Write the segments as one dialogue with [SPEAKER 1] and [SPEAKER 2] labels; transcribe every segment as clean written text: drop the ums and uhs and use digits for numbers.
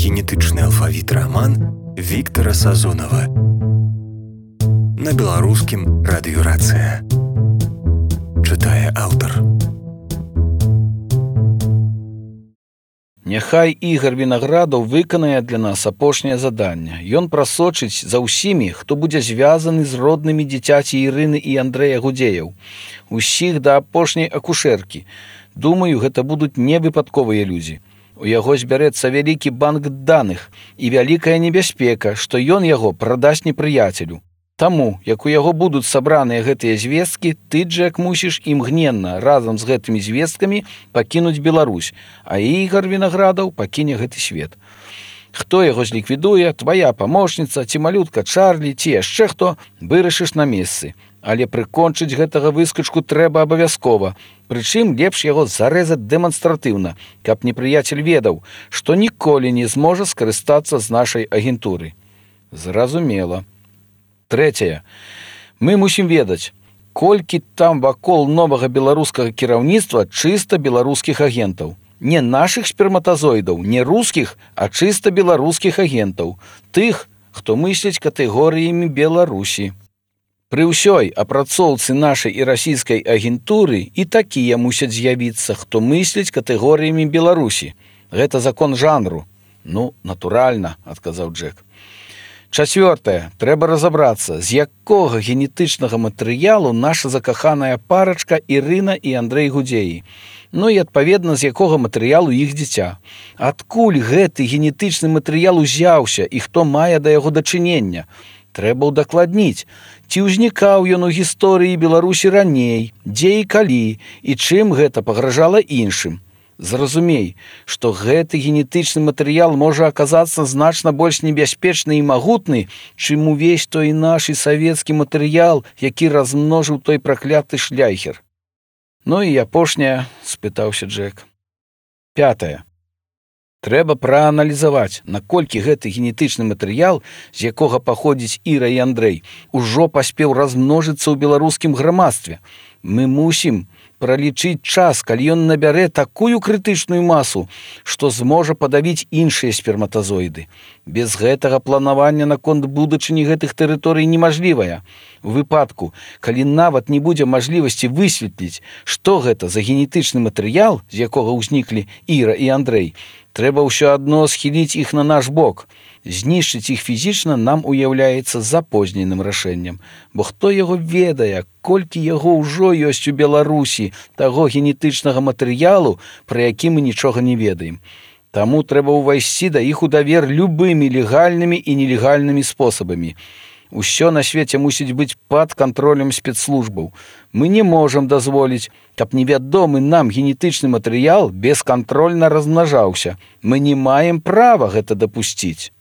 [SPEAKER 1] генетычны алфавіт раман Віктара Сазонава на беларускім радыёрацыя. Чытае аўтар.
[SPEAKER 2] Няхай Ігар Вінаградаў выканае для нас апошняе заданне. Ён прасочыць за ўсімі, хто будзе звязаны з роднымі дзіцяці Ірыны і Андрэя Гудзеяў. Усіх да апошняй акушэркі. Думаю, гэта будуць невыпадковыя людзі. У яго збярэцца вялікі банк даных і вялікая небяспека, што ён яго прадасць непрыяцелю. Таму, як у яго будуць сабраныя гэтыя звесткі, ты, Джек, мусіш імгненна разам з гэтымі звесткамі пакінуць Беларусь, а Ігар Вінаградаў пакіне гэты свет. Хто яго зліквідуе, твая памочніца, ці малютка Чарлі, ці яшчэ хто, вырашыш на месцы. Але прыкончыць гэтага выскачку трэба абавязкова. Прычым лепш яго зарэзаць дэманстратыўна, каб непрыяцель ведаў, што ніколі не зможа скарыстацца з нашай агентуры. Зразумела. Трэцяе. Мы мусім ведаць, колькі там вакол новага беларускага кіраўніцтва чыста беларускіх агентаў. Не нашых сперматазоідаў, не рускіх, а чыста беларускіх агентаў. Тых, хто мысляць катэгорыямі Беларусі. Пры ўсёй апрацоўцы нашай і расійскай агентуры і такія мусяць з'явіцца, хто мысляць катэгорыямі Беларусі. Гэта закон жанру. Ну, натуральна, адказаў Джек. Чацвёртае. Трэба разабрацца, з якога генетычнага матэрыялу наша закаханая парачка Ірына і Андрэй Гудзеі. Ну і адпаведна, з якога матэрыялу іх дзіця. Адкуль гэты генетычны матэрыял узяўся і хто мае да яго дачынення? Трэба ўдакладніць, ці ўзнікаў ён у гісторыі Беларусі раней, дзе і калі, і чым гэта пагражала іншым. Зразумей, што гэты генетычны матэрыял можа аказацца значна больш небяспечны і магутны, чым увесь той наш і савецкі матэрыял, які размножыў той пракляты шляйхер. Ну і апошняе, спытаўся Джек. Пятае. Трэба прааналізаваць, наколькі гэты генетычны матэрыял, з якога паходзіць Іра і Андрэй, ужо паспеў размножыцца ў беларускім грамадстве. Мы мусім пралічыць час, калі ён набярэ такую крытычную масу, што зможа падавіць іншыя сперматазоіды. Без гэтага планавання наконт будучыні гэтых тэрыторый немажлівая. У выпадку, калі нават не будзе мажлівасці высветліць, што гэта за генетычны матэрыял, з якога ўзніклі Іра і Андрэй, трэба ўсё адно схіліць іх на наш бок. Знішчыць іх фізічна нам уяўляецца запозненым рашэннем. Бо хто яго ведае, колькі яго ўжо ёсць у Беларусі, таго генетычнага матэрыялу, пра які мы нічога не ведаем. Таму трэба ўвайсці да іх у давер любымі легальнымі і нелегальнымі спосабамі. Усё на свеце мусіць быць пад кантролем спецслужбаў. Мы не можам дазволіць, каб невядомы нам генетычны матэрыял бескантрольна размнажаўся. Мы не маем права гэта дапусціць.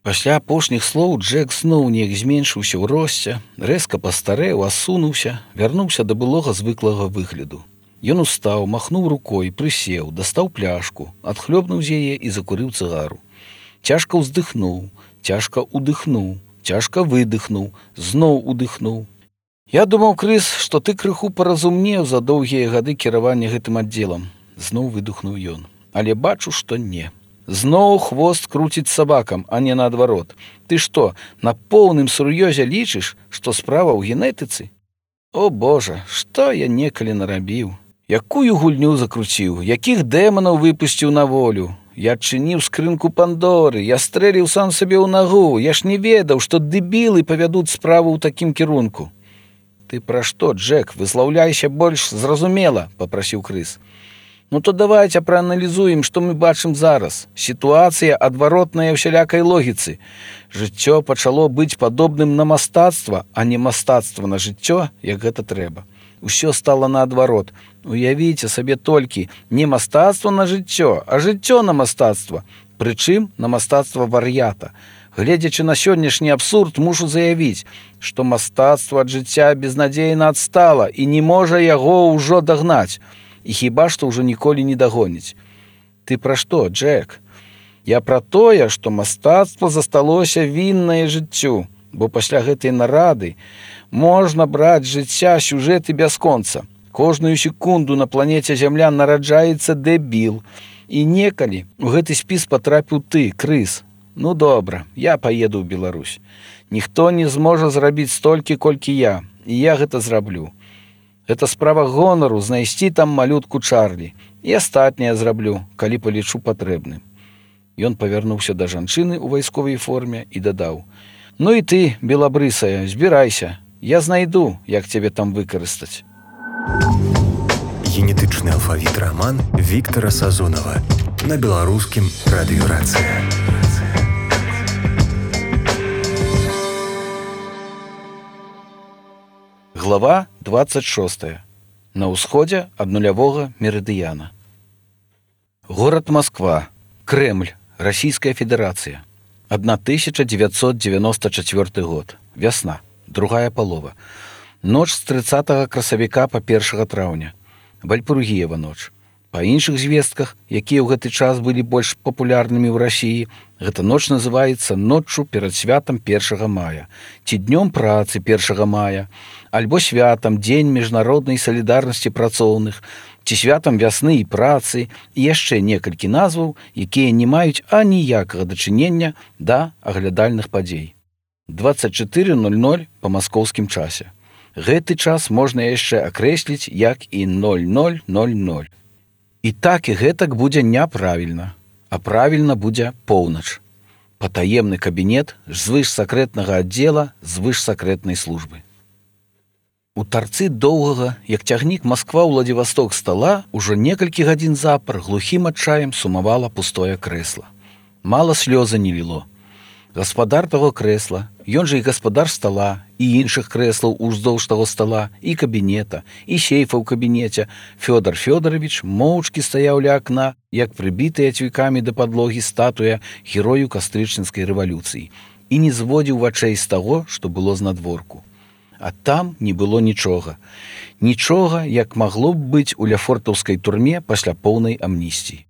[SPEAKER 2] Пасля апошніх слоў Джек зноў неяк зменшыўся ў росце, рэзка пастарэў, асунуўся, вярнуўся да былога звыклага выгляду. Ён устаў, махнуў рукой, прысеў, дастаў пляшку, адхлёбнуў з яе і закурыў цыгару. Цяжка ўздыхнуў, цяжка удыхнуў, цяжка выдыхнуў, зноў удыхнуў. Я думаў, Крыс, што ты крыху паразумнеў за доўгія гады кіравання гэтым аддзелам. Зноў выдыхнуў ён. Але бачу, што не. Зноў хвост круціць сабакам, а не наадварот. Ты што, на поўным сур'ёзе лічыш, што справа ў генетыцы? О, Божа, што я некалі нарабіў? Якую гульню закруціў, якіх дэманаў выпусціў на волю? Я адчыніў скрынку Пандоры, я стрэліў сам сабе ў нагу, я ж не ведаў, што дэбілы павядуць справу ў такім кірунку. Ты пра што, Джек, выслаўляйся больш зразумела, папрасіў Крыс. Ну то давайте прааналізуем, што мы бачым зараз. Сітуацыя адваротная ўсялякай логіцы. Жыццё пачало быць падобным на мастацтва, а не мастацтва на жыццё, як гэта трэба. Усё стала наадварот. Уявіце сабе толькі не мастацтва на жыццё, а жыццё на мастацтва. Прычым на мастацтва вар'ята. Гледзячы на сённяшні абсурд, мушу заявіць, што мастацтва ад жыцця безнадзейна адстала і не можа яго ўжо дагнаць. І хіба што ўжо ніколі не дагоніць. Ты пра што, Джек? Я пра тое, што мастацтва засталося віннае жыццю, бо пасля гэтай нарады можна браць жыцця сюжэты бясконца. Кожную секунду на планеце Зямля нараджаецца дэбіл. І некалі у гэты спіс патрапіў ты, крыс. Ну добра, я паеду ў Беларусь. Ніхто не зможа зрабіць столькі, колькі я, і я гэта зраблю. Гэта справа гонару знайсці там малютку Чарлі. І астатняе зраблю, калі палічу патрэбным. Ён павярнуўся да жанчыны ў вайсковай форме і дадаў: ну і ты, белабрысая, збірайся. Я знайду, як цябе там выкарыстаць.
[SPEAKER 1] Генетычны алфавіт раман Віктара Сазонава на беларускім радыё Рацыя.
[SPEAKER 2] Глава 26. На ўсходзе ад нулявога мерыдыяна. Горад Москва, Кремль, Расійская Федэрацыя. 1994 год. Вясна, другая палова. Ноч з 30 красавіка па 1 траўня. Вальпургіева ноч. Па іншых звестках, якія ў гэты час былі больш папулярнымі ў Расіі, гэта ноч называецца ноччу перад святам 1 мая, ці днём працы 1 мая, альбо святам дзень міжнароднай салідарнасці працоўных, ці святам вясны і працы, і яшчэ некалькі назваў, якія не маюць аніякага дачынення да аглядальных падзей. 24:00 па маскоўскім часе. Гэты час можна яшчэ акрэсліць як і 00:00. І так і гэтак будзе няправільна, а правільна будзе поўнач. Патаемны кабінет звышсакрэтнага аддзела звышсакрэтнай службы. У тарцы доўгага, як цягнік Москва-Владзівасток стала, ужо некалькі гадзін запар глухім адчаем сумавала пустое крэсла. Мала слёза не ліло. Гаспадар таго крэсла, ён жа і гаспадар стала, і іншых крэслаў уздоўж таго стала, і кабінета, і сейфа ў кабінеце, Фёдор Фёдорович моўчкі стаяў ля акна, як прыбітыя цвікамі да падлогі статуя герою кастрычніцкай рэвалюцыі, і не зводзіў вачэй з таго, што было знадворку. А там не было нічога. Нічога, як магло б быць у ляфортаўскай турме пасля поўнай амністіі.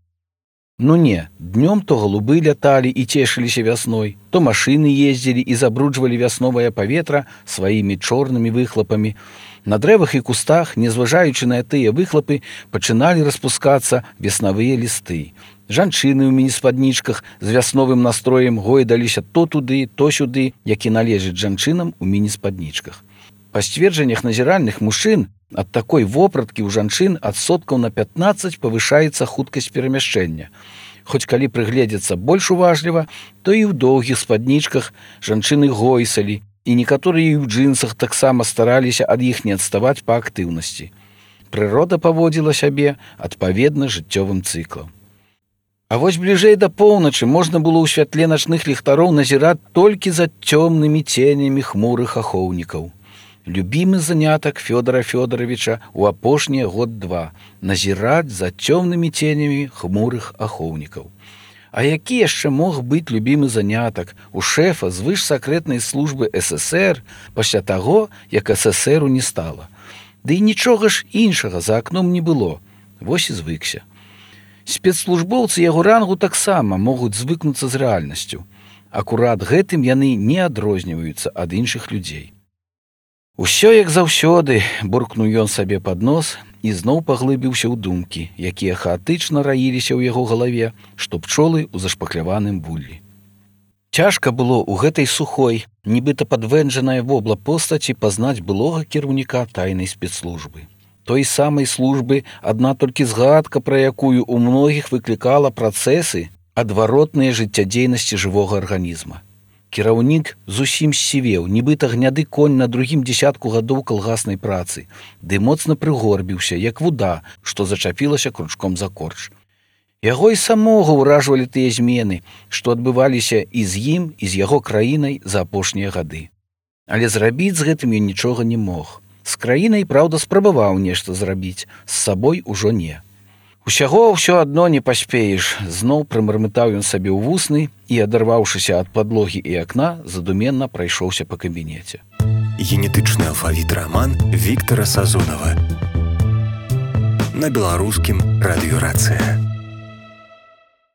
[SPEAKER 2] Ну не, днём то голубы ляталі і цешыліся вясной, то машыны ездзілі і забруджвалі вясновае паветра сваімі чорнымі выхлапамі. На дрэвах і кустах, незважаючы на тыя выхлапы, пачыналі распускацца веснавыя лісты. Жанчыны ў міні-спаднічках з вясновым настроем гойдаліся то туды, то сюды, які належыць жанчынам у міні-спаднічках. Па сцверджаннях назіральных мужчын, ад такой вопраткі ў жанчын адсоткаў на 15 павышаецца хуткасць перамяшчэння. Хоць калі прыгледзецца больш уважліва, то і ў доўгіх спаднічках жанчыны гойсалі, і некаторыя ў джынсах таксама стараліся ад іх не адставаць па актыўнасці. Прырода паводзіла сябе адпаведна жыццёвым цыклам. А вось бліжэй да поўначы можна было ў святле начных ліхтароў назіраць толькі за цёмнымі ценямі хмурых ахоўнікаў. Любімы занятак Фёдора Фёдоровича ў апошнія год-два назіраць за цёмнымі ценямі хмурых ахоўнікаў. А які яшчэ мог быць любімы занятак у шэфа звышсакрэтнай службы СССР пасля таго, як СССРу не стала? Ды і нічога ж іншага за акном не было. Вось і звыкся. Спецслужбоўцы яго рангу таксама могуць звыкнуцца з рэальнасцю. Акурат гэтым яны не адрозніваюцца ад іншых людзей. Усё як заўсёды, буркнуў ён сабе пад нос і зноў паглыбіўся ў думкі, якія хаатычна раіліся ў яго галаве, што пчолы ў зашпакляваным вуллі. Цяжка было ў гэтай сухой, нібыта падвэнджанай вобла постаці пазнаць былога кіраўніка тайнай спецслужбы. Той самай службы адна толькі згадка, пра якую ў многіх выклікала працэсы адваротныя жыццядзейнасці жывога арганізма. Кіраўнік зусім ссівеў, нібыта гняды конь на другім дзесятку гадоў калгаснай працы, ды моцна прыгорбіўся, як вуда, што зачапілася кручком за корч. Яго і самога ўражвалі тыя змены, што адбываліся і з ім, і з яго краінай за апошнія гады. Але зрабіць з гэтым ён нічога не мог. З краінай, праўда, спрабаваў нешта зрабіць, з сабой ужо не. Усяго ўсё адно не паспееш, зноў прымармытаў ён сабе ў вусны і, адарваўшыся ад падлогі і акна, задуменна прайшоўся па кабінеце.
[SPEAKER 1] Генетычны алфавіт раман Віктара Сазонава на беларускім радыё Рацыя.